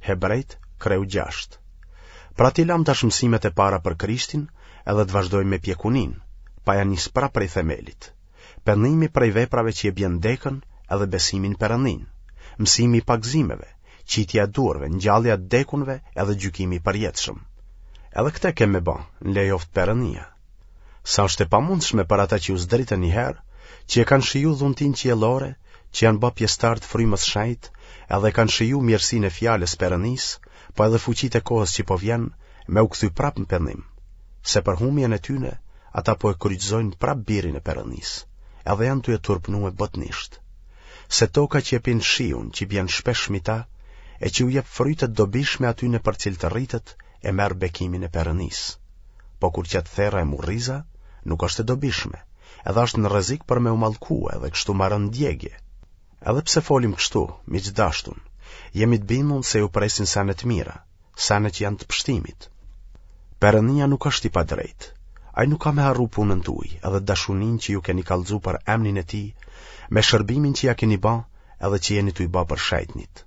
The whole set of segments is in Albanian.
Hebrejt, kreu 6. Pra t'i lamë tash mësimet e para për Krishtin edhe të vazhdojmë me pjekuninë, pa ja nis prapë prej themelit. Pendimi prej veprave që e bjen dekën edhe besimi n'Perëndinë, mësimi i pagëzimeve, qitja e duarve, ngjallja e t'dekunve edhe gjykimi i përjetshëm. Edhe këtë kem me ba, në lejoftë Perëndia. Sa është e pamundshme për ata që u zdritën një herë, që e kanë shiju dhuntinë qiellore, që janë ba pjesëtarë të frymës shenjtë, edhe e kanë shiju mirësinë e fjalës Perëndisë, po edhe fuqitë e kohës që po vjen, me u kthy prapë në pendim, se për humjen e tyne, ata po e kryqëzojnë prapë birin e Perëndisë, edhe janë tu e turpnue botnisht. Se toka që e pin shiun që bjen shpesh mi ta, e që u jep fryte të dobishme atyne për cilët rritet, e merr bekimin e Perëndisë. Po kur qet therra e murriza, nuk është e dobishme, edhe është në rrezik për me u mallkue edhe kështu maron djegie. Edhe pse folim kështu, miq të dashtun, jemi të bindun se ju presin sene të mira, sene që janë të pështimit. Perëndia nuk është i padrejtë. Ai nuk ka me harru punën tuaj edhe dashuninë që ju keni kallxu për emnin e tij, me shërbimin që ja keni ba edhe që jeni tuj ba për shejtnit.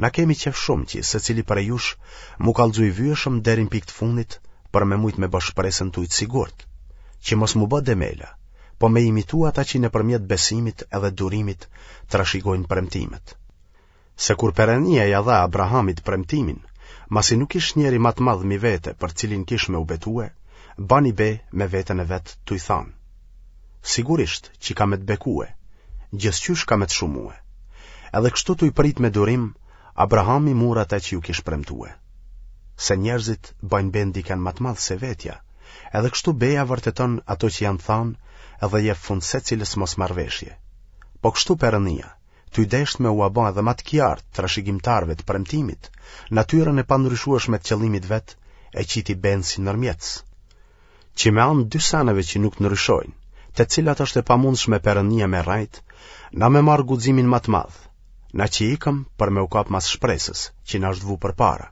Na kemi qejf shumë që secili prej jush m'u kallxu i vyeshëm deri në pikë të fundit për me mujt me ba shpresën tuj të sigurt, që mos m'u bë demela, po me imitu ata që nëpërmjet besimit edhe durimit trashigojnë premtimet. Se kur Perëndia ia dha Abrahamit premtimin, masi nuk kish njeri ma të madh mi vete për cilin kish me u betue, bani be me veten e vet tuj thanë. Sigurisht që kam me të bekue, gjithqysh kam me të shumue. Edhe kështu tuj prit me durim, Abrahami mur atë që ju kish premtue. Se njerëzit bajnë be n'dikën ma të madh se vetja, edhe kështu beja vërteton ato që janë thanë edhe jep fund secilës mosmarrëveshje. Po kështu Perëndia, tuj deshtë me ua ba edhe ma të kjartë trashëgimtarëve të premtimit, natyrën e pandryshueshme të qëllimit vet, e qiti benë si nërmjetës. Që me anë dy seneve që nuk ndryshojnë, te cilat është e pamundshme Perëndia me rrejt, na me marrë guximin ma të madh, na që ikëm për me u kap mas shpresës, që na është vu përpara.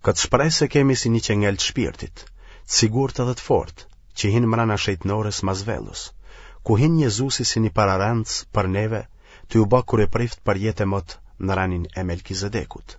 Këtë shpresë e kemi si një çengel të shpirtit, të sigurt edhe të fortë, që hin mrena shejtnores mas vellos, ku hin Jezusi si një pararendës për neve, tuj u ba kryeprift për jetë e mot në renin e Melkizedekut.